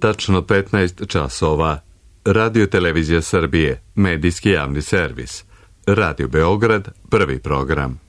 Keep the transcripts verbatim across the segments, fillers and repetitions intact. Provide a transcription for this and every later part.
Tačno petnaest časova. Radio Televizija Srbije, medijski javni servis. Radio Beograd, prvi program.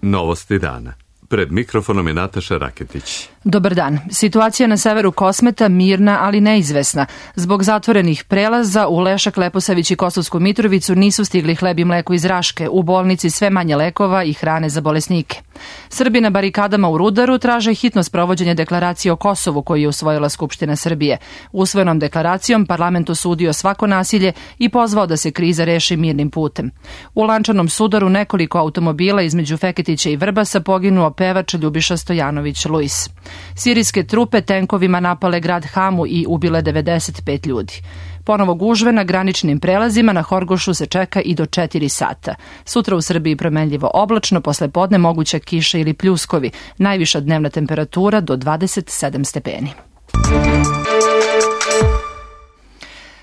Novosti dana. Pred mikrofonom je Nataša Raketić. Dobar dan. Situacija na severu Kosmeta mirna, ali neizvesna. Zbog zatvorenih prelaza u Lešak, Leposavić i Kosovsku Mitrovicu nisu stigli hleb i mleko iz Raške. U bolnici sve manje lekova i hrane za bolesnike. Srbi na barikadama u Rudaru traže hitno sprovođenje deklaracije o Kosovu koju je usvojila Skupština Srbije. Usvojenom deklaracijom parlament osudio svako nasilje i pozvao da se kriza reši mirnim putem. U Lančanom Sudaru nekoliko automobila između Feketića i Vrbasa poginuo pevač Ljubiša Stojanović-Luis. Sirijske trupe tenkovima napale grad Hamu i ubile devedeset pet ljudi. Ponovo gužve na graničnim prelazima na Horgošu se čeka i do četiri sata. Sutra u Srbiji promenljivo oblačno, posle podne moguća kiša ili pljuskovi. Najviša dnevna temperatura do dvadeset sedam stepeni.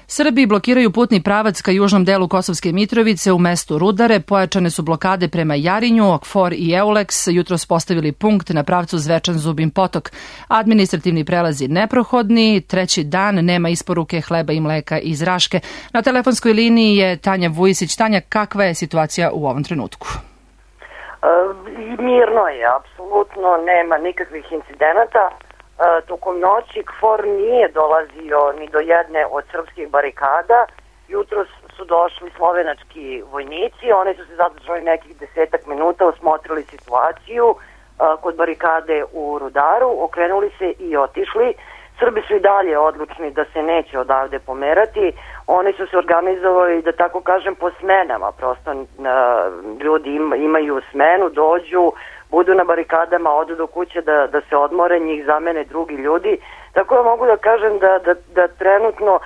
Srbiji blokiraju putni pravac ka južnom delu Kosovske Mitrovice u mestu Rudare. Pojačane su blokade prema Jarinju, Okfor i Euleks. Jutros postavili punkt na pravcu Zvečan-Zubin Potok. Administrativni prelazi neprohodni. Treći dan nema isporuke hleba i mleka iz Raške. Na telefonskoj liniji je Tanja Vujisić. Tanja, kakva je situacija u ovom trenutku? E, mirno je, apsolutno nema nikakvih incidenata. E, tokom noći Kfor nije dolazio ni do jedne od srpskih barikada. Jutros su došli slovenački vojnici, oni su se zadržali nekih desetak minuta, osmotrili situaciju e, kod barikade u Rudaru, okrenuli se i otišli. Srbi su i dalje odlučni da se neće odavde pomerati. Oni su se organizovali, da tako kažem, po smenama. Prosto e, ljudi im, imaju smenu, dođu, budu na barikadama, odu do kuće da, da se odmore, njih zamene drugi ljudi. Tako da mogu da kažem da, da, da trenutno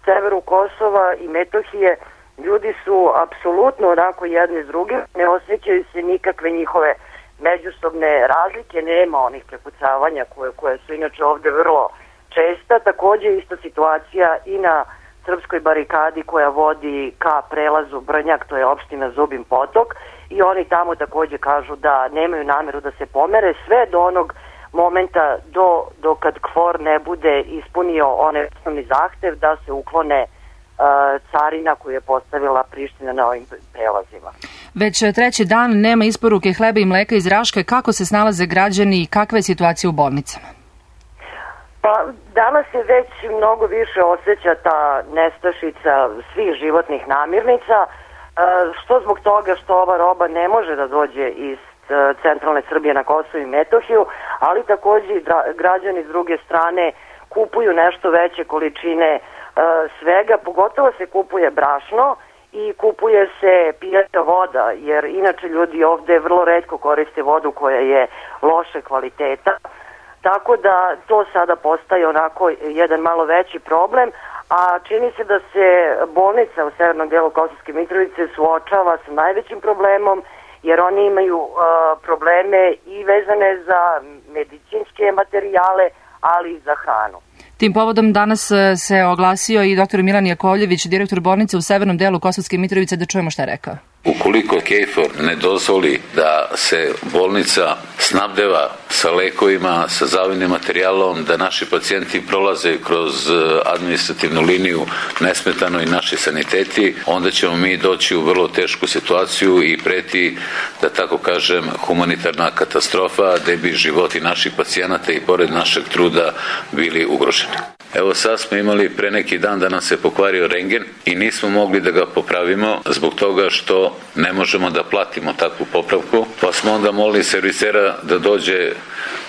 severu Kosova i Metohije ljudi su apsolutno onako jedni s drugim, ne osjećaju se nikakve njihove međusobne razlike, nema onih prepucavanja koje, koje su inače ovde vrlo česta. Takođe ista situacija i na srpskoj barikadi koja vodi ka prelazu Brnjak, to je opština Zubin Potok, i oni tamo takođe kažu da nemaju nameru da se pomere sve do onog momenta do, do kad Kfor ne bude ispunio onaj osnovni zahtev da se uklone uh, carina koju je postavila Priština na ovim prelazima. Već treći dan nema isporuke hleba i mleka iz Raške. Kako se snalaze građani i kakva je situacija u bolnicama? Pa danas se već mnogo više osjeća ta nestašica svih životnih namirnica, što zbog toga što ova roba ne može da dođe iz centralne Srbije na Kosovo i Metohiju, ali takođe i građani s druge strane kupuju nešto veće količine svega, pogotovo se kupuje brašno i kupuje se pijaća voda, jer inače ljudi ovde vrlo retko koriste vodu koja je loše kvaliteta, tako da to sada postaje onako jedan malo veći problem, a čini se da se bolnica u severnom delu Kosovske Mitrovice suočava sa najvećim problemom, jer oni imaju uh, probleme i vezane za medicinske materijale, ali i za hranu. Tim povodom danas se oglasio i doktor Milan Jakovljević, direktor bolnice u severnom delu Kosovske Mitrovice, da čujemo šta je rekao. Ukoliko KFOR ne dozvoli da se bolnica snabdeva sa lekovima, sa zavidnim materijalom, da naši pacijenti prolaze kroz administrativnu liniju nesmetano i naši saniteti, onda ćemo mi doći u vrlo tešku situaciju i preti, da tako kažem, humanitarna katastrofa, gde bi životi naših pacijenata i pored našeg truda bili ugroženi. Evo sad smo imali pre neki dan da nam se pokvario rendgen i nismo mogli da ga popravimo zbog toga što ne možemo da platimo takvu popravku, pa smo onda molili servisera da dođe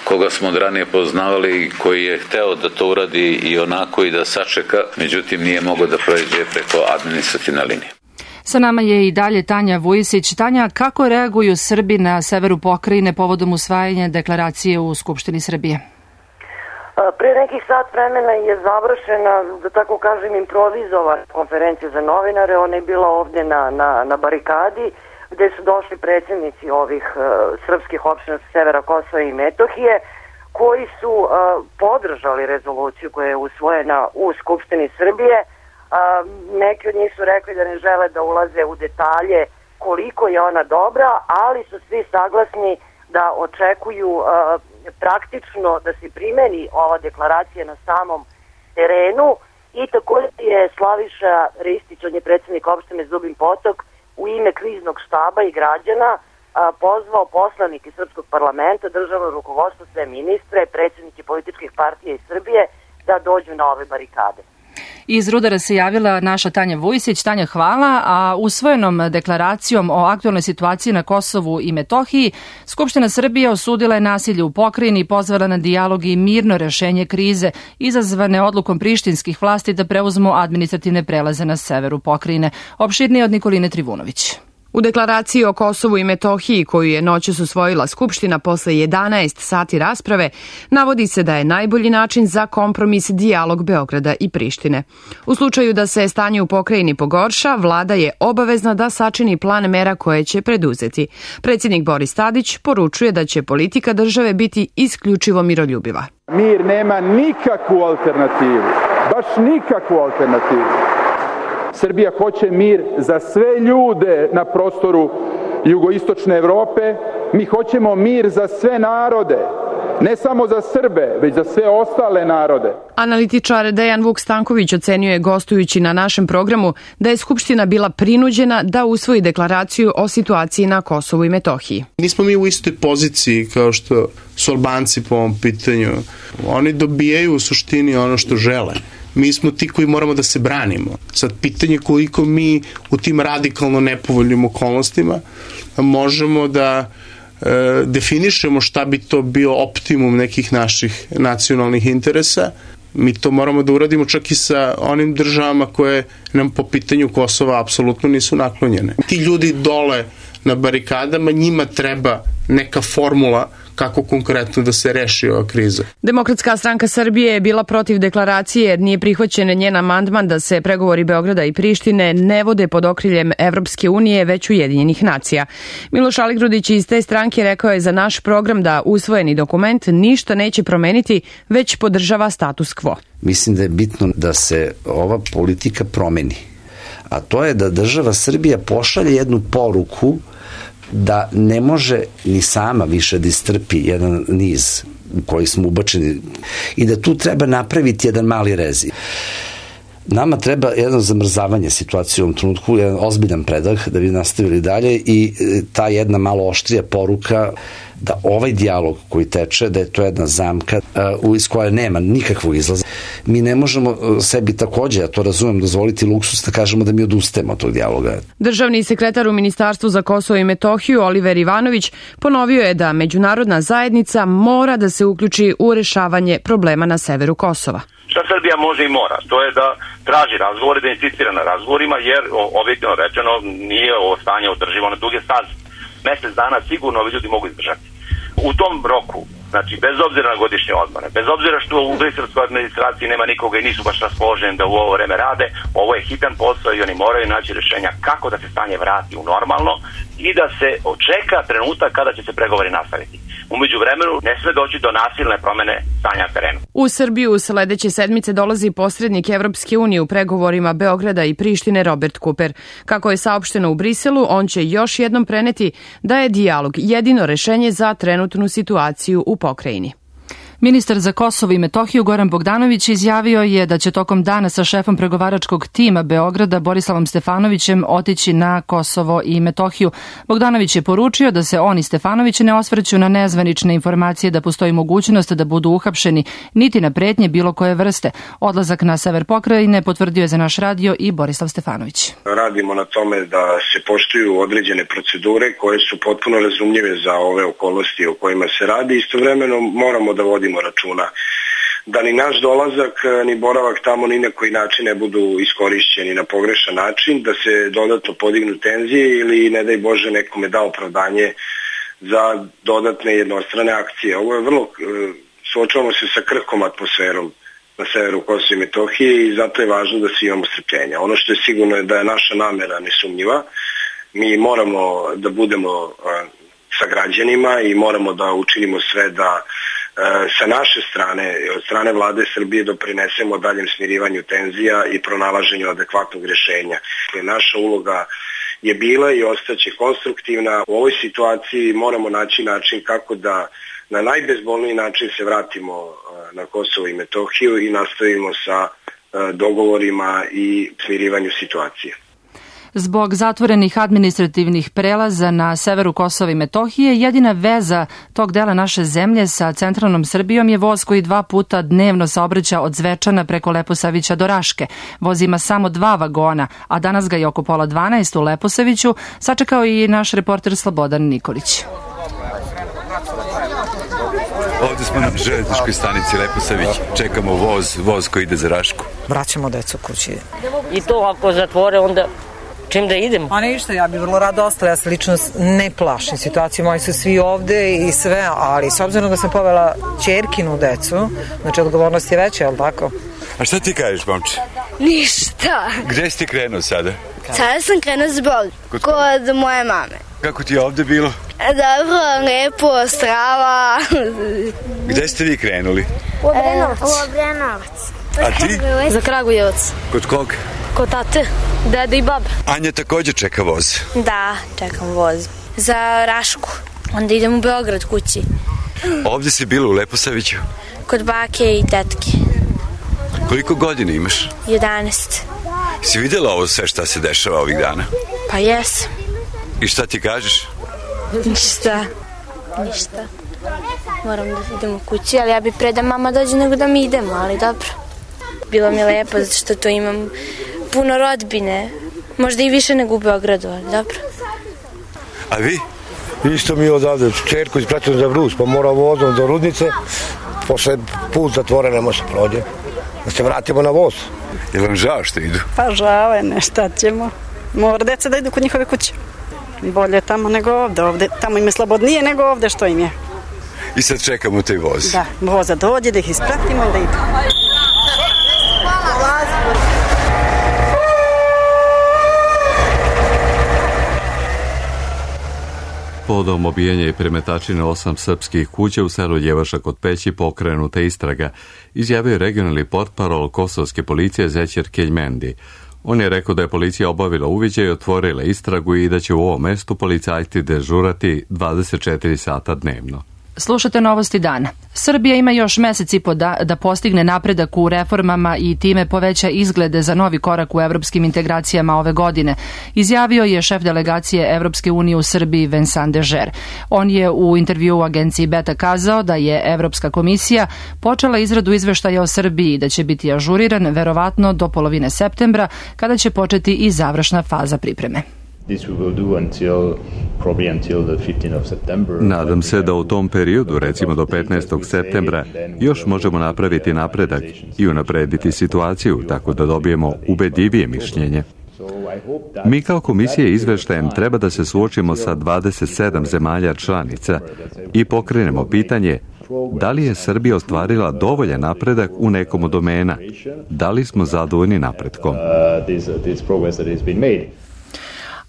koga smo od ranije poznavali i koji je hteo da to uradi i onako i da sačeka, međutim nije mogao da prođe preko administrativne linije. Sa nama je i dalje Tanja Vujisić. Tanja, kako reaguju Srbi na severu pokrajine povodom usvajanja deklaracije u Skupštini Srbije? Pre nekih sat vremena je završena, da tako kažem, improvizovana konferencija za novinare. Ona je bila ovde na, na, na barikadi, gde su došli predsjednici ovih uh, srpskih opština sa severa Kosova i Metohije, koji su uh, podržali rezoluciju koja je usvojena u Skupštini Srbije. Uh, neki od njih su rekli da ne žele da ulaze u detalje koliko je ona dobra, ali su svi saglasni da očekuju uh, praktično da se primeni ova deklaracija na samom terenu. I također je Slaviša Ristić, on je predsjednik opštine Zubin Potok, u ime kriznog štaba i građana uh, pozvao poslanike Srpskog parlamenta, državno rukovodstvo, sve ministre, predsjednike političkih partija iz Srbije da dođu na ove barikade. Iz Rudara se javila naša Tanja Vujsić. Tanja, hvala. A usvojenom deklaracijom o aktualnoj situaciji na Kosovu i Metohiji, Skupština Srbije osudila je nasilje u pokrajini i pozvala na dijalog i mirno rešenje krize izazvane odlukom prištinskih vlasti da preuzmu administrativne prelaze na severu pokrajine. Opširnije od Nikoline Trivunović. U deklaraciji o Kosovu i Metohiji, koju je noćas usvojila Skupština posle jedanaest sati rasprave, navodi se da je najbolji način za kompromis dijalog Beograda i Prištine. U slučaju da se stanje u pokrajini pogorša, vlada je obavezna da sačini plan mera koje će preduzeti. Predsjednik Boris Tadić poručuje da će politika države biti isključivo miroljubiva. Mir nema nikakvu alternativu, baš nikakvu alternativu. Srbija hoće mir za sve ljude na prostoru jugoistočne Evrope. Mi hoćemo mir za sve narode, ne samo za Srbe, već za sve ostale narode. Analitičar Dejan Vuk Stanković ocenio je, gostujući na našem programu, da je Skupština bila prinuđena da usvoji deklaraciju o situaciji na Kosovu i Metohiji. Nismo mi u istoj poziciji kao što su Albanci po ovom pitanju. Oni dobijaju u suštini ono što žele. Mi smo ti koji moramo da se branimo. Sad, pitanje koliko mi u tim radikalno nepovoljnim okolnostima možemo da e, definišemo šta bi to bio optimum nekih naših nacionalnih interesa. Mi to moramo da uradimo čak i sa onim državama koje nam po pitanju Kosova apsolutno nisu naklonjene. Ti ljudi dole na barikadama, njima treba neka formula kako konkretno da se reši ova kriza. Demokratska stranka Srbije je bila protiv deklaracije jer nije prihvaćen njen amandman da se pregovori Beograda i Prištine ne vode pod okriljem Evropske unije, već Ujedinjenih nacija. Miloš Aligrudić iz te stranke rekao je za naš program da usvojeni dokument ništa neće promeniti, već podržava status quo. Mislim da je bitno da se ova politika promeni, a to je da država Srbija pošalje jednu poruku da ne može ni sama više da istrpi jedan niz u koji smo ubačeni i da tu treba napraviti jedan mali rezi. Nama treba jedno zamrzavanje situacije u ovom trenutku, jedan ozbiljan predah da bi nastavili dalje i ta jedna malo oštrija poruka da ovaj dijalog koji teče, da je to jedna zamka uh, iz koje nema nikakvog izlaza. Mi ne možemo sebi takođe, ja to razumem, dozvoliti luksus da kažemo da mi odustajemo od tog dijaloga. Državni sekretar u Ministarstvu za Kosovo i Metohiju, Oliver Ivanović, ponovio je da međunarodna zajednica mora da se uključi u rešavanje problema na severu Kosova. Šta Srbija može i mora? To je da traži razgovore, da insistira na razgovorima, jer objektivno rečeno nije ovo stanje održivo na duge staze. Mesec dana sigurno ovi ljudi mogu izdržati. U tom roku, znači bez obzira na godišnje odmore, bez obzira što u briselskoj administraciji nema nikoga i nisu baš raspoloženi da u ovo vreme rade, ovo je hitan posao i oni moraju naći rješenja kako da se stanje vrati u normalno i da se očeka trenutak kada će se pregovori nastaviti. Umeđu vremenu ne sme doći do nasilne promene stanja na terenu. U Srbiju sledeće sedmice dolazi posrednik Evropske unije u pregovorima Beograda i Prištine Robert Cooper. Kako je saopšteno u Briselu, on će još jednom preneti da je dijalog jedino rešenje za trenutnu situaciju u pokrajini. Ministar za Kosovo i Metohiju Goran Bogdanović izjavio je da će tokom dana sa šefom pregovaračkog tima Beograda Borislavom Stefanovićem otići na Kosovo i Metohiju. Bogdanović je poručio da se on i Stefanović ne osvrću na nezvanične informacije da postoji mogućnost da budu uhapšeni, niti na pretnje bilo koje vrste. Odlazak na sever pokrajine potvrdio je za naš radio i Borislav Stefanović. Radimo na tome da se poštuju određene procedure koje su potpuno razumljive za ove okolnosti o kojima se radi. Istovremeno moramo da vodimo računa da ni naš dolazak ni boravak tamo ni na koji način ne budu iskorišćeni na pogrešan način, da se dodatno podignu tenzije ili ne daj Bože nekome da opravdanje za dodatne jednostrane akcije. Ovo je vrlo, suočavamo se sa krhkom atmosferom na severu Kosova i Metohije i zato je važno da svi imamo strpljenja. Ono što je sigurno je da je naša namera nesumnjiva. Mi moramo da budemo sa građanima i moramo da učinimo sve da sa naše strane, od strane vlade Srbije doprinesemo daljem smirivanju tenzija i pronalaženju adekvatnog rješenja. Naša uloga je bila i ostaće konstruktivna. U ovoj situaciji moramo naći način kako da na najbezbolniji način se vratimo na Kosovo i Metohiju i nastavimo sa dogovorima i smirivanju situacije. Zbog zatvorenih administrativnih prelaza na severu Kosova i Metohije, jedina veza tog dela naše zemlje sa centralnom Srbijom je voz koji dva puta dnevno saobraća od Zvečana preko Leposavića do Raške. Voz ima samo dva vagona, a danas ga je oko pola dvanaest u Leposaviću sačekao i naš reporter Slobodan Nikolić. Ovdje smo na železničkoj stanici Leposavić. Čekamo voz, voz koji ide za Rašku. Vraćamo decu kući. I to ako zatvore, onda čim da idemo? A ništa, ja bih vrlo rado ostala. Ja se lično ne plašim. Situacije moji su svi ovde i sve, ali s obzirom da sam povela ćerkinu decu, znači odgovornost je veća, je li tako? A šta ti kažeš, momče? Ništa. Gde si ti krenuo sada? Sada sam krenuo zbog kod, kod moje mame. Kako ti je ovde bilo? Dobro, lepo, strava. Gde ste vi krenuli? U Obrenovac. U Obrenovac. A ti? Za Kragujevac. Kod kog? Kod tate, dede i babe. Anja također čeka voz. Da, čekam voz. Za Rašku. Onda idem u Beograd kući. Ovdje si bila u Leposaviću? Kod bake i tetke. Koliko godina imaš? jedanaest. Si vidjela ovo sve šta se dešava ovih dana? Pa jes. I šta ti kažeš? Ništa. Ništa. Moram da idemo kući, ali ja bi pre da mama dođe nego da mi idemo, ali dobro. Bilo mi lepo zato što to imam puno rodbine. Možda i više nego u Beogradu, ali dobro. A vi? Isto mi odavde, čerku ispratimo za Brus, pa mora vozom do Rudnice, posle put zatvoren, ne može se prođe. Da se vratimo na voz. Je vam žao što idu? Pa žao je, ne, šta ćemo. Mora deca da idu kod njihove kuće. Bolje tamo nego ovde. ovde. Tamo im je slobodnije nego ovde što im je. I sad čekamo taj voz. Da, voza dođe, da ih ispratimo i da idu. Povodom obijanja i premetačine osam srpskih kuća u selu Ljevaša kod Peći pokrenuta istraga, izjavio regionalni portparol kosovske policije Zećer Keljmendi. On je rekao da je policija obavila uviđaj i otvorila istragu i da će u ovom mestu policajci dežurati dvadeset četiri sata dnevno. Slušate Novosti dana. Srbija ima još mesec i po da, da postigne napredak u reformama i time poveća izglede za novi korak u evropskim integracijama ove godine, izjavio je šef delegacije Evropske unije u Srbiji Vincent Dežer. On je u intervju u agenciji Beta kazao da je Evropska komisija počela izradu izveštaja o Srbiji, da će biti ažuriran verovatno do polovine septembra, kada će početi i završna faza pripreme. Nadam se da u tom periodu, recimo do petnaestog septembra, još možemo napraviti napredak i unaprediti situaciju tako da dobijemo ubedljivije mišljenje. Mi kao komisija izveštajem treba da se suočimo sa dvadeset sedam zemalja članica i pokrenemo pitanje da li je Srbija ostvarila dovoljan napredak u nekom od domena, da li smo zadovoljni napretkom.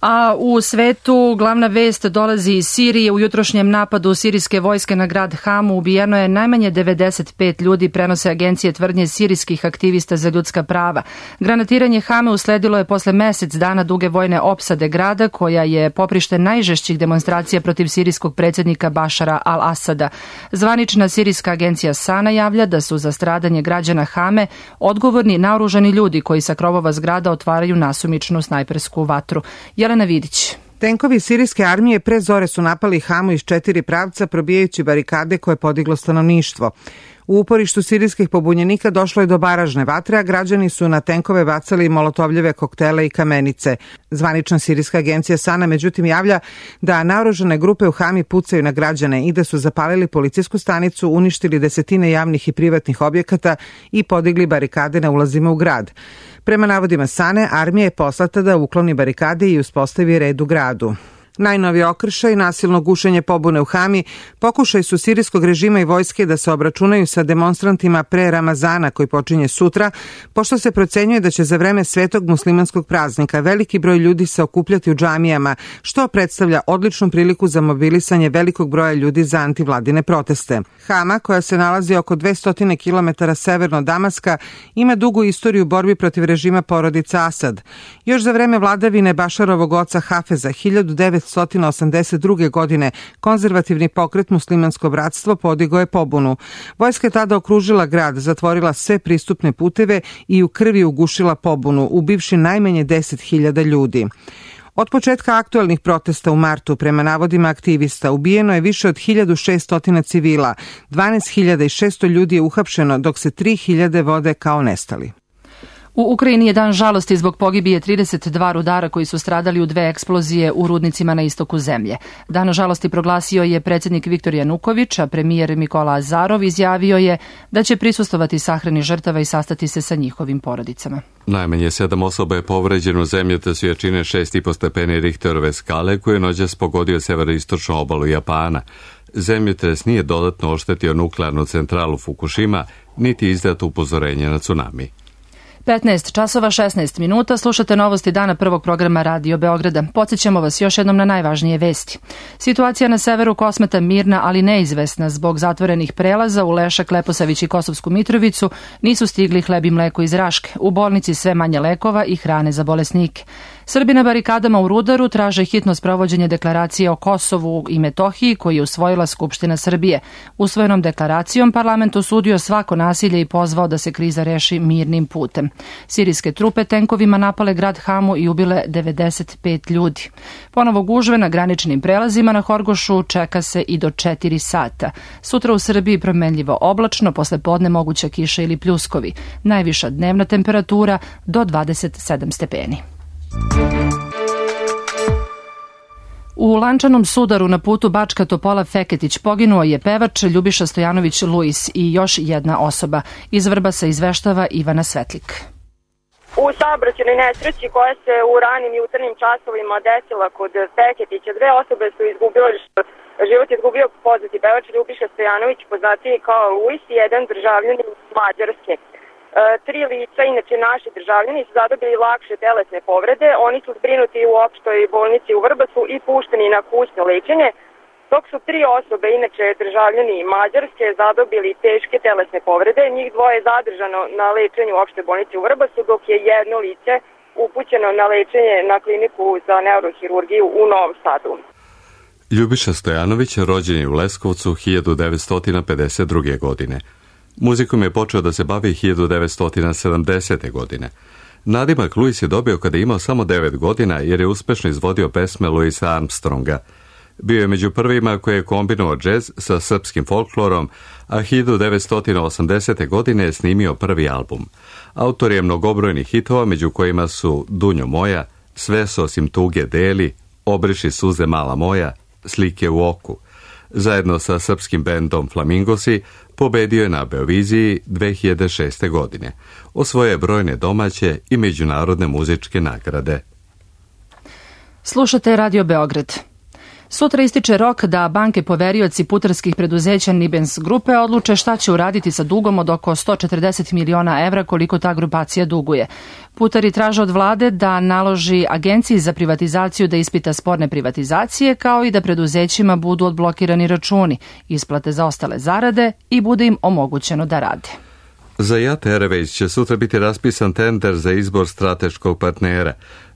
A u svetu glavna vest dolazi iz Sirije. U jutrošnjem napadu sirijske vojske na grad Hamu ubijeno je najmanje devedeset pet ljudi, prenose agencije tvrdnje sirijskih aktivista za ljudska prava. Granatiranje Hame usledilo je posle mesec dana duge vojne opsade grada, koja je poprište najžešćih demonstracija protiv sirijskog predsjednika Bašara al-Asada. Zvanična sirijska agencija Sana javlja da su za stradanje građana Hame odgovorni naoružani ljudi koji sa krovova zgrada otvaraju nasumičnu snajpersku vatru. Jelena Vidić. Tenkovi sirijske armije pre zore su napali Hamu iz četiri pravca, probijajući barikade koje je podiglo stanovništvo. U uporištu sirijskih pobunjenika došlo je do baražne vatre, a građani su na tenkove bacali molotovljeve koktele i kamenice. Zvanična sirijska agencija Sana međutim javlja da naoružane grupe u Hami pucaju na građane i da su zapalili policijsku stanicu, uništili desetine javnih i privatnih objekata i podigli barikade na ulazima u grad. Prema navodima Sane, armija je poslata da ukloni barikade i uspostavi red u gradu. Najnovi okršaj, nasilno gušenje pobune u Hami, pokušaj su sirijskog režima i vojske da se obračunaju sa demonstrantima pre Ramazana koji počinje sutra, pošto se procenjuje da će za vreme svetog muslimanskog praznika veliki broj ljudi se okupljati u džamijama, što predstavlja odličnu priliku za mobilisanje velikog broja ljudi za antivladine proteste. Hama, koja se nalazi oko dvesta kilometara severno od Damaska, ima dugu istoriju borbi protiv režima porodice Asad. Još za vreme vladavine Bašarovog oca Hafeza hiljadu devetsto osamdeset druge. godine konzervativni pokret Muslimansko bratstvo podigao je pobunu. Vojska je tada okružila grad, zatvorila sve pristupne puteve i u krvi ugušila pobunu, ubivši najmanje deset hiljada ljudi. Od početka aktuelnih protesta u martu, prema navodima aktivista, ubijeno je više od hiljadu šesto civila, dvanaest hiljada šesto ljudi je uhapšeno, dok se tri hiljade vode kao nestali. U Ukrajini je dan žalosti zbog pogibije trideset dva rudara koji su stradali u dve eksplozije u rudnicima na istoku zemlje. Dan žalosti proglasio je predsjednik Viktor Januković, a premijer Mikola Azarov izjavio je da će prisustovati sahrani žrtava i sastati se sa njihovim porodicama. Najmanje sedam osoba je povređeno u zemljotres jačine šest i po stepeni Richterove skale koji je noćas pogodio severoistočnu obalu Japana. Zemljotres nije dodatno oštetio nuklearnu centralu Fukushima, niti izdato upozorenje na tsunami. petnaest časova šesnaest minuta, slušate novosti dana prvog programa Radio Beograda. Podsjećamo vas još jednom na najvažnije vesti. Situacija na severu Kosmeta mirna, ali neizvesna. Zbog zatvorenih prelaza u Lešak, Leposavić i Kosovsku Mitrovicu nisu stigli hleb i mleko iz Raške. U bolnici sve manje lekova i hrane za bolesnike. Srbi na barikadama u Rudaru traže hitno sprovođenje deklaracije o Kosovu i Metohiji koju je usvojila Skupština Srbije. Usvojenom deklaracijom parlament osudio svako nasilje i pozvao da se kriza reši mirnim putem. Sirijske trupe tenkovima napale grad Hamu i ubile devedeset pet ljudi. Ponovo gužve na graničnim prelazima na Horgošu čeka se i do četiri sata. Sutra u Srbiji promenljivo oblačno, posle podne moguća kiša ili pljuskovi. Najviša dnevna temperatura do dvadeset sedam stepeni. U lančanom sudaru na putu Bačka Topola Feketić poginuo je pevač Ljubiša Stojanović Luis i još jedna osoba. Iz Vrbasa izveštava Ivana Svetlik. U saobraćajnoj nesreći koja se u ranim jutarnjim časovima desila kod Feketića, dve osobe su izgubile život. Život je izgubio poznati pevač Ljubiša Stojanović, poznatiji kao Luis, i jedan državljanin Mađarske. E, tri lica, inače naši državljani, su zadobili lakše telesne povrede. Oni su zbrinuti u opštoj bolnici u Vrbasu i pušteni na kućno lečenje, dok su tri osobe, inače državljani Mađarske, zadobili teške telesne povrede. Njih dvoje je zadržano na lečenju u opštoj bolnici u Vrbasu, dok je jedno lice upućeno na lečenje na kliniku za neurohirurgiju u Novom Sadu. Ljubiša Stojanović rođen je u Leskovcu hiljadu devetsto pedeset druge. godine. Muzikom je počeo da se bavi hiljadu devetsto sedamdesete. godine. Nadimak Luis je dobio kada je imao samo devet godina jer je uspešno izvodio pesme Louisa Armstronga. Bio je među prvima koji je kombinovao džez sa srpskim folklorom, a hiljadu devetsto osamdesete. godine je snimio prvi album. Autor je mnogobrojnih hitova, među kojima su Dunjo moja, Sve se osim tuge deli, Obriši suze mala moja, Slike u oku. Zajedno sa srpskim bendom Flamingosi pobedio je na Beoviziji dve hiljade šeste. godine. Osvojio je brojne domaće i međunarodne muzičke nagrade. Slušate Radio Beograd. Sutra ističe rok da banke poverioci putarskih preduzeća Nibens grupe odluče šta će uraditi sa dugom od oko sto četrdeset miliona evra koliko ta grupacija duguje. Putari traže od vlade da naloži Agenciji za privatizaciju da ispita sporne privatizacije, kao i da preduzećima budu odblokirani računi, isplate za ostale zarade i bude im omogućeno da rade. Za Jat Airways će sutra biti raspisan tender za izbor strateškog partnera.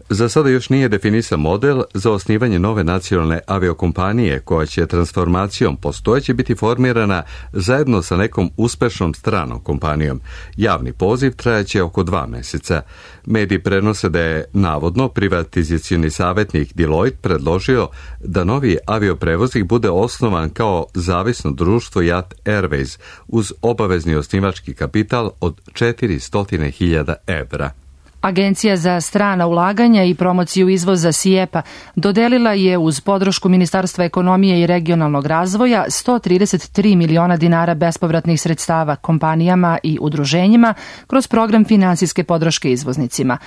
Za sada još nije definisan model za osnivanje nove nacionalne aviokompanije koja će transformacijom postojeće biti formirana zajedno sa nekom uspešnom stranom kompanijom. Javni poziv trajaće oko dva meseca. Mediji prenose da je navodno privatizacioni savjetnik Deloitte predložio da novi avioprevoznik bude osnovan kao zavisno društvo Jat Airways uz obavezni osnivački kapital od četiristo hiljada evra. Agencija za strana ulaganja i promociju izvoza SIEPA dodelila je uz podršku Ministarstva ekonomije i regionalnog razvoja sto trideset tri miliona dinara bespovratnih sredstava kompanijama i udruženjima kroz program finansijske podrške izvoznicima.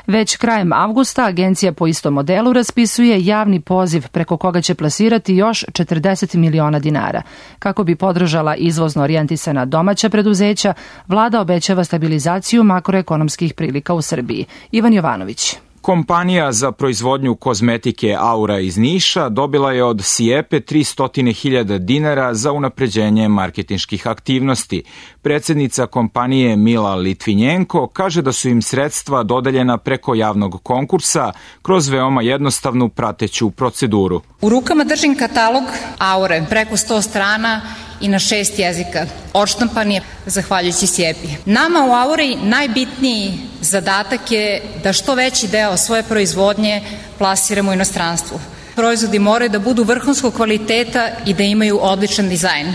Već krajem avgusta agencija po istom modelu raspisuje javni poziv preko koga će plasirati još četrdeset miliona dinara. Kako bi podržala izvozno orijentisana domaća preduzeća, vlada obećava stabilizaciju makroekonomskih prilika u Srbiji. Ivan Jovanović. Kompanija za proizvodnju kozmetike Aura iz Niša dobila je od SIEPE tristo hiljada dinara za unapređenje marketinških aktivnosti. Predsednica kompanije Mila Litvinjenko kaže da su im sredstva dodeljena preko javnog konkursa kroz veoma jednostavnu prateću proceduru. U rukama držim katalog Aure, preko sto strana i na šest jezika. Odštampan je zahvaljujući SIEPI. Nama u Auri najbitniji zadatak je da što veći deo svoje proizvodnje plasiramo u inostranstvu. Proizvodi moraju da budu vrhunskog kvaliteta i da imaju odličan dizajn.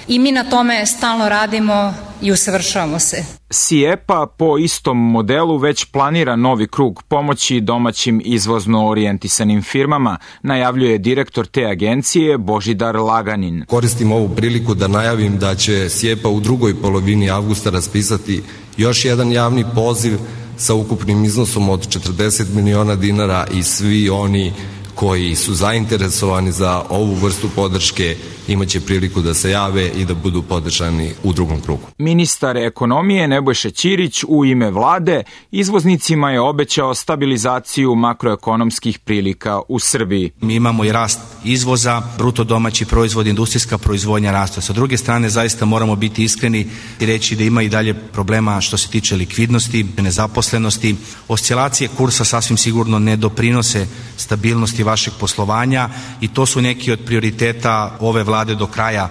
I mi na tome stalno radimo i usavršavamo se. SIEPA po istom modelu već planira novi krug pomoći domaćim izvozno orijentisanim firmama, najavljuje direktor te agencije Božidar Laganin. Koristim ovu priliku da najavim da će SIEPA u drugoj polovini avgusta raspisati još jedan javni poziv sa ukupnim iznosom od četrdeset miliona dinara i svi oni koji su zainteresovani za ovu vrstu podrške imaće priliku da se jave i da budu podržani u drugom krugu. Ministar ekonomije Nebojša Ćirić u ime vlade izvoznicima je obećao stabilizaciju makroekonomskih prilika u Srbiji. Mi imamo i rast izvoza, bruto domaći proizvod, industrijska proizvodnja rasta. Sa druge strane, zaista moramo biti iskreni i reći da ima i dalje problema što se tiče likvidnosti, nezaposlenosti. Oscilacije kursa sasvim sigurno ne doprinose stabilnosti vašeg poslovanja i to su neki od prioriteta ove vlade do kraja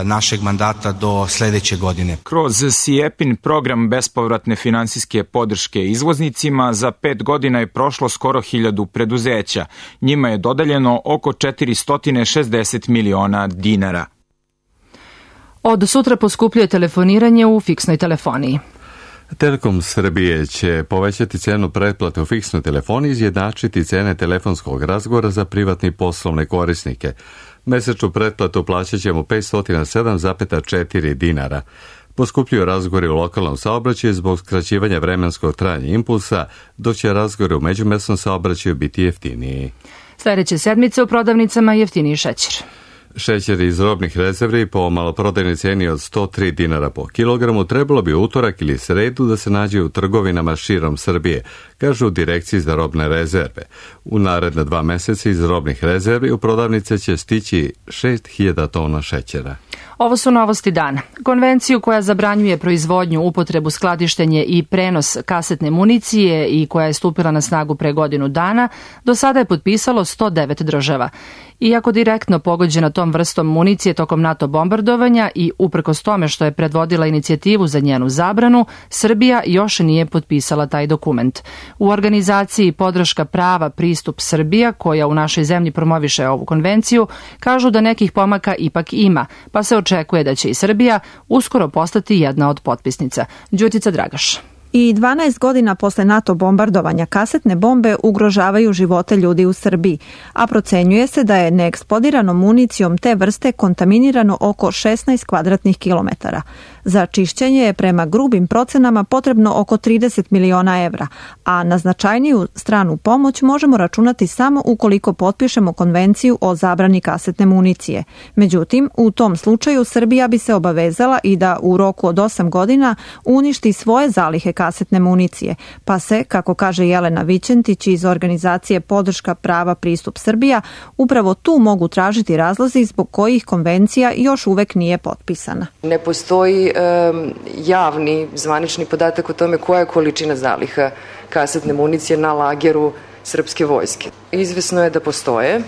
našeg mandata do sledeće godine. Kroz SIEPin program bespovratne finansijske podrške izvoznicima za pet godina je prošlo skoro hiljadu preduzeća. Njima je dodeljeno oko četiristo šezdeset miliona dinara. Od sutra poskupljuje telefoniranje u fiksnoj telefoniji. Telekom Srbije će povećati cenu pretplate u fiksnoj telefoniji i izjednačiti cene telefonskog razgovora za privatne i poslovne korisnike. Mesečnu pretplatu plaćat ćemo petsto sedam zarez četiri dinara. Poskupljuju razgovori u lokalnom saobraćaju zbog skraćivanja vremenskog trajanja impulsa, dok će razgovori u međumesnom saobraćaju biti jeftiniji. Sljedeće sedmice u prodavnicama jeftiniji šećer. Šećer iz robnih rezervi po maloprodajnoj ceni od sto tri dinara po kilogramu trebalo bi utorak ili sredu da se nađe u trgovinama širom Srbije, kažu u Direkciji za robne rezerve. U naredne dva meseca iz robnih rezervi u prodavnice će stići šest hiljada tona šećera. Ovo su novosti dana. Konvenciju koja zabranjuje proizvodnju, upotrebu, skladištenje i prenos kasetne municije i koja je stupila na snagu pre godinu dana, do sada je potpisalo sto devet država. Iako direktno pogođena tom vrstom municije tokom NATO bombardovanja i uprkos tome što je predvodila inicijativu za njenu zabranu, Srbija još nije potpisala taj dokument. U organizaciji Podrška prava pristup Srbija, koja u našoj zemlji promoviše ovu konvenciju, kažu da nekih pomaka ipak ima, pa se očekuje da će i Srbija uskoro postati jedna od potpisnica. Đurtica Dragaš. I dvanaest godina posle NATO bombardovanja kasetne bombe ugrožavaju živote ljudi u Srbiji, a procenjuje se da je neeksplodiranom municijom te vrste kontaminirano oko šesnaest kvadratnih kilometara. Za čišćenje je prema grubim procenama potrebno oko trideset miliona evra, a na značajniju stranu pomoć možemo računati samo ukoliko potpišemo konvenciju o zabrani kasetne municije. Međutim, u tom slučaju Srbija bi se obavezala i da u roku od osam godina uništi svoje zalihe kasetne municije, pa se, kako kaže Jelena Vićentić iz organizacije Podrška prava pristup Srbija, upravo tu mogu tražiti razlozi zbog kojih konvencija još uvek nije potpisana. Ne postoji e, javni zvanični podatak o tome koja je količina zaliha kasetne municije na lageru srpske vojske. Izvesno je da postoje.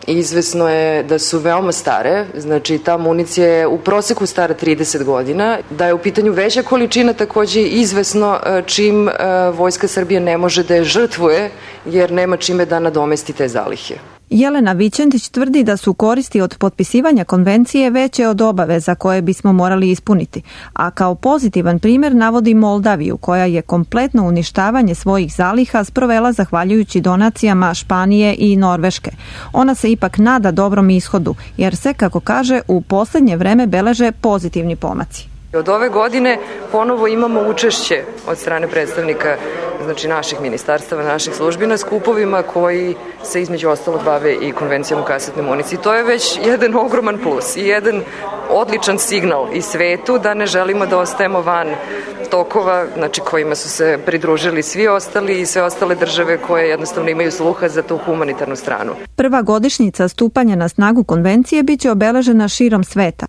Izvesno je da su veoma stare, znači ta municija je u proseku stara trideset godina, da je u pitanju veća količina takođe izvesno čim Vojska Srbije ne može da je žrtvuje jer nema čime da nadomesti te zalihe. Jelena Vićentić tvrdi da su koristi od potpisivanja konvencije veće od obaveza koje bismo morali ispuniti, a kao pozitivan primjer navodi Moldaviju, koja je kompletno uništavanje svojih zaliha sprovela zahvaljujući donacijama Španije i Norveške. Ona se ipak nada dobrom ishodu, jer se, kako kaže, u posljednje vreme beleže pozitivni pomaci. Od ove godine ponovo imamo učešće od strane predstavnika, znači naših ministarstava, naših službi na skupovima koji se između ostalog bave i konvencijom o kasetnoj municiji. To je već jedan ogroman plus i jedan odličan signal i svetu da ne želimo da ostajemo van tokova, znači kojima su se pridružili svi ostali i sve ostale države koje jednostavno imaju sluha za tu humanitarnu stranu. Prva godišnjica stupanja na snagu konvencije biće obeležena širom sveta.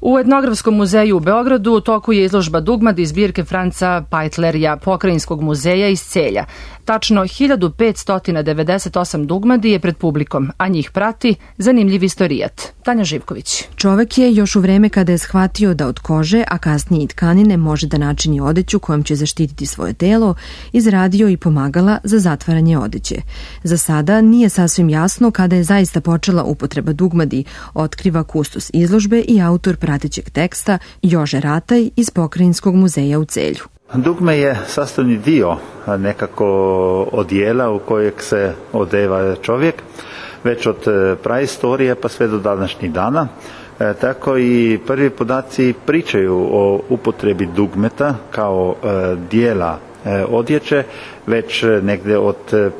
U Etnografskom muzeju u Beogradu u toku je izložba dugmad iz zbirke Franca Pajtlerija, Pokrajinskog muzeja iz Celja. Tačno hiljadu petsto devedeset osam dugmadi je pred publikom, a njih prati zanimljiv istorijat. Tanja Živković. Čovek je još u vreme kada je shvatio da od kože, a kasnije i tkanine, može da načini odeću kojom će zaštititi svoje telo, izradio i pomagala za zatvaranje odeće. Za sada nije sasvim jasno kada je zaista počela upotreba dugmadi, otkriva kustos izložbe i autor pratećeg teksta Jože Rataj iz Pokrajinskog muzeja u Celju. Dugme je sastavni dio nekako odijela u kojeg se odeva čovjek, već od praistorije pa sve do današnjih dana. E, tako i prvi podaci pričaju o upotrebi dugmeta kao e, dijela e, odjeće već negdje od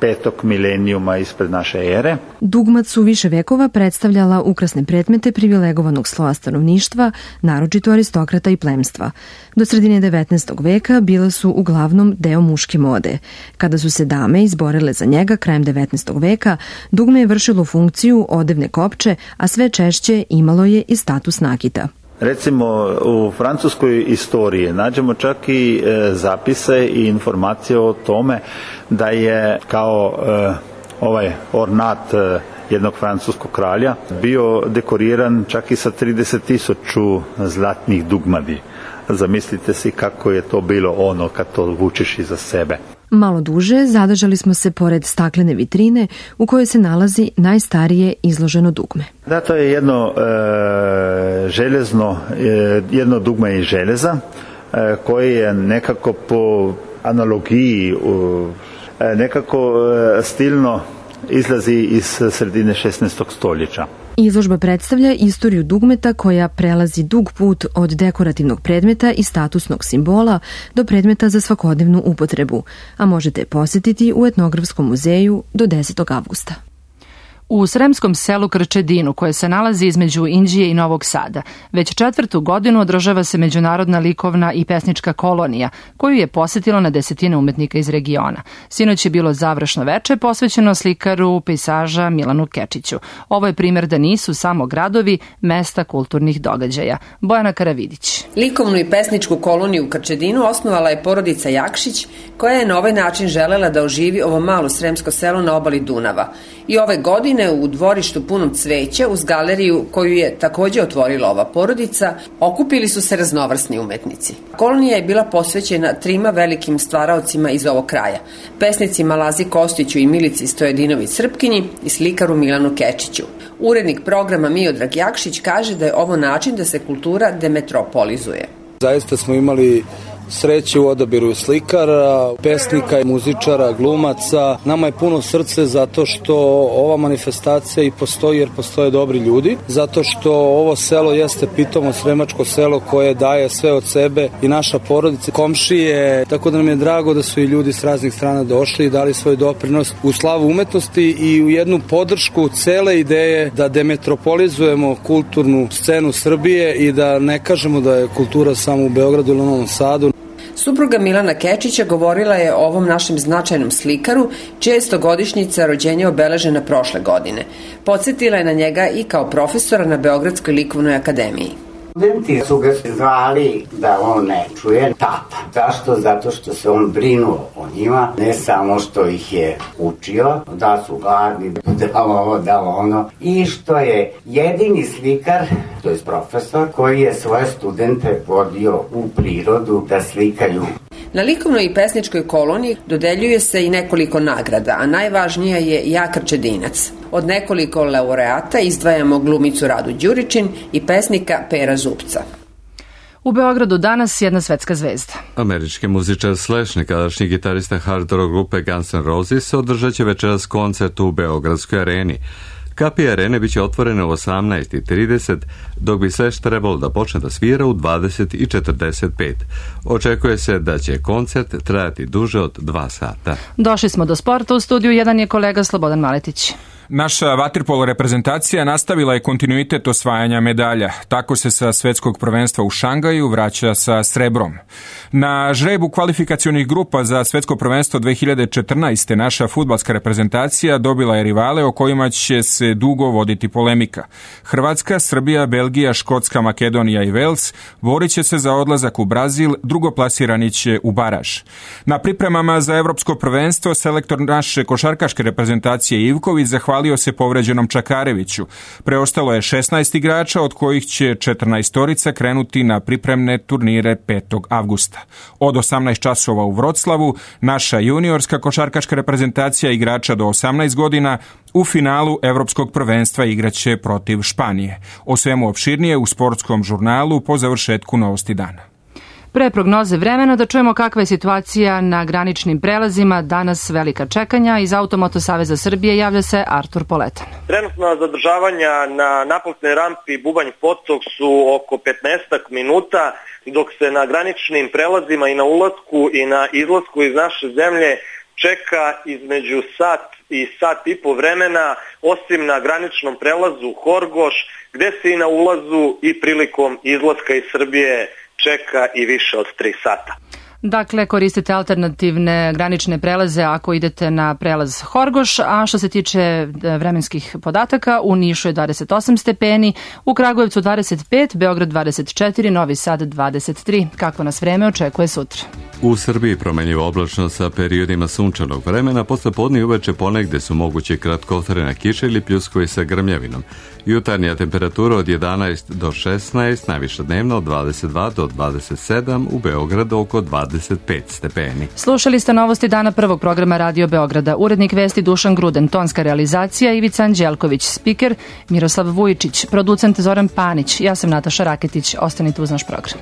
petog milenijuma ispred naše ere. Dugmat su više vekova predstavljala ukrasne predmete privilegovanog sloja stanovništva, naročito aristokrata i plemstva. Do sredine devetnaestog veka bila su uglavnom deo muške mode. Kada su se dame izborile za njega krajem devetnaestog veka, dugme je vršilo funkciju odevne kopče, a sve češće imalo je i status nakita. Recimo u francuskoj istoriji nađemo čak i e, zapise i informacije o tome da je kao e, ovaj ornat e, jednog francuskog kralja bio dekoriran čak i sa trideset tisuća zlatnih dugmadi. Zamislite si kako je to bilo ono kad to vučeš iza sebe. Malo duže zadržali smo se pored staklene vitrine u kojoj se nalazi najstarije izloženo dugme. Da, to je jedno e, železno, e, jedno dugme iz železa e, koje je nekako po analogiji e, nekako e, stilno izlazi iz sredine šesnaestog stoljeća. Izložba predstavlja istoriju dugmeta koja prelazi dug put od dekorativnog predmeta i statusnog simbola do predmeta za svakodnevnu upotrebu, a možete je posjetiti u Etnografskom muzeju do desetog avgusta. U sremskom selu Krčedinu, koje se nalazi između Inđije i Novog Sada, već četvrtu godinu održava se međunarodna likovna i pesnička kolonija, koju je posjetilo na desetine umetnika iz regiona. Sinoć je bilo završno veče posvećeno slikaru, pejsaža Milanu Kečiću. Ovo je primjer da nisu samo gradovi mesta kulturnih događaja. Bojana Karavidić. Likovnu i pesničku koloniju u Krčedinu osnovala je porodica Jakšić, koja je na ovaj način želela da oživi ovo malo sremsko selo na obali Dunava. I ove godine u dvorištu punom cveća uz galeriju koju je također otvorila ova porodica, okupili su se raznovrsni umetnici. Kolonija je bila posvećena trima velikim stvaraocima iz ovog kraja, pesnicima Lazi Kostiću i Milici Stojedinović Srpkinji i slikaru Milanu Kečiću. Urednik programa Miodrag Jakšić kaže da je ovo način da se kultura demetropolizuje. Zaista smo imali sreće u odabiru slikara, pesnika, muzičara, glumaca. Nama je puno srce zato što ova manifestacija i postoji jer postoje dobri ljudi, zato što ovo selo jeste pitomo sremačko selo koje daje sve od sebe i naša porodica, komšije, tako da nam je drago da su i ljudi s raznih strana došli i dali svoj doprinos u slavu umetnosti i u jednu podršku cele ideje da demetropolizujemo kulturnu scenu Srbije i da ne kažemo da je kultura samo u Beogradu ili Novom Sadu. Supruga Milana Kečića govorila je o ovom našem značajnom slikaru, čija je stogodišnjica rođenja obeležena prošle godine. Podsjetila je na njega i kao profesora na Beogradskoj likovnoj akademiji. Studenti su ga zvali da on ne čuje tata. Zašto? Zato što se on brinuo o njima, ne samo što ih je učio, da su gladni, da ovo, da ono, i što je jedini slikar, to je profesor, koji je svoje studente vodio u prirodu da slikaju. Na likovnoj i pesničkoj koloniji dodeljuje se i nekoliko nagrada, a najvažnija je Ja Krčedinac. Od nekoliko laureata izdvajamo glumicu Radu Đuričin i pesnika Pera Zupca. U Beogradu danas jedna svetska zvezda. Američki muzičar Slash, nekadašnji gitarista hard rock grupe Guns N' Roses, održat će večeras koncert u Beogradskoj areni. Kapije arene biće otvorene u osamnaest i trideset, dok bi Slash trebalo da počne da svira u dvadeset i četrdeset pet. Očekuje se da će koncert trajati duže od dva sata. Došli smo do sporta. U studiju jedan je kolega Slobodan Maletić. Naša vaterpolo reprezentacija nastavila je kontinuitet osvajanja medalja. Tako se sa svetskog prvenstva u Šangaju vraća sa srebrom. Na žrebu kvalifikacionih grupa za svetsko prvenstvo dve hiljade četrnaeste. naša fudbalska reprezentacija dobila je rivale o kojima će se dugo voditi polemika. Hrvatska, Srbija, Belgija, Škotska, Makedonija i Vels borit će se za odlazak u Brazil, drugoplasirani će u baraž. Na pripremama za evropsko prvenstvo selektor naše košarkaške reprezentacije Ivković zahvalio se povređenom Čakareviću. Preostalo je šesnaest igrača, od kojih će četrnaestorica krenuti na pripremne turnire petog avgusta. Od osamnaest časova u Vroclavu naša juniorska košarkaška reprezentacija igrača do osamnaest godina u finalu evropskog prvenstva igraće protiv Španije. O svemu opširnije u sportskom žurnalu po završetku Novosti dana. Pre prognoze vremena da čujemo kakva je situacija na graničnim prelazima. Danas velika čekanja. Iz Automoto Saveza Srbije javlja se Artur Poletan. Trenutna zadržavanja na naplatnoj rampi Bubanj Potok su oko petnaest minuta, dok se na graničnim prelazima i na ulasku i na izlasku iz naše zemlje čeka između sat i sat i po vremena, osim na graničnom prelazu Horgoš, gde se i na ulazu i prilikom izlaska iz Srbije čeka i više od tri sata. Dakle, koristite alternativne granične prelaze ako idete na prelaz Horgoš, a što se tiče vremenskih podataka, u Nišu je dvadeset osam stepeni, u Kragujevcu dvadeset pet, Beograd dvadeset četiri, Novi Sad dvadeset tri. Kako nas vreme očekuje sutra? U Srbiji promenljivo oblačno sa periodima sunčanog vremena, posle podne i uveče ponegde su moguće kratkotrajna kiša ili pljuskovi sa grmljavinom. Jutarnja temperatura od jedanaest do šesnaest, najviša dnevna od dvadeset dva do dvadeset sedam, u Beogradu oko dvadeset pet stepeni. Slušali ste novosti dana prvog programa Radio Beograda. Urednik vesti Dušan Gruden, tonska realizacija Ivica Anđelković, spiker Miroslav Vujičić, producent Zoran Panić. Ja sam Nataša Raketić. Ostanite uz naš program.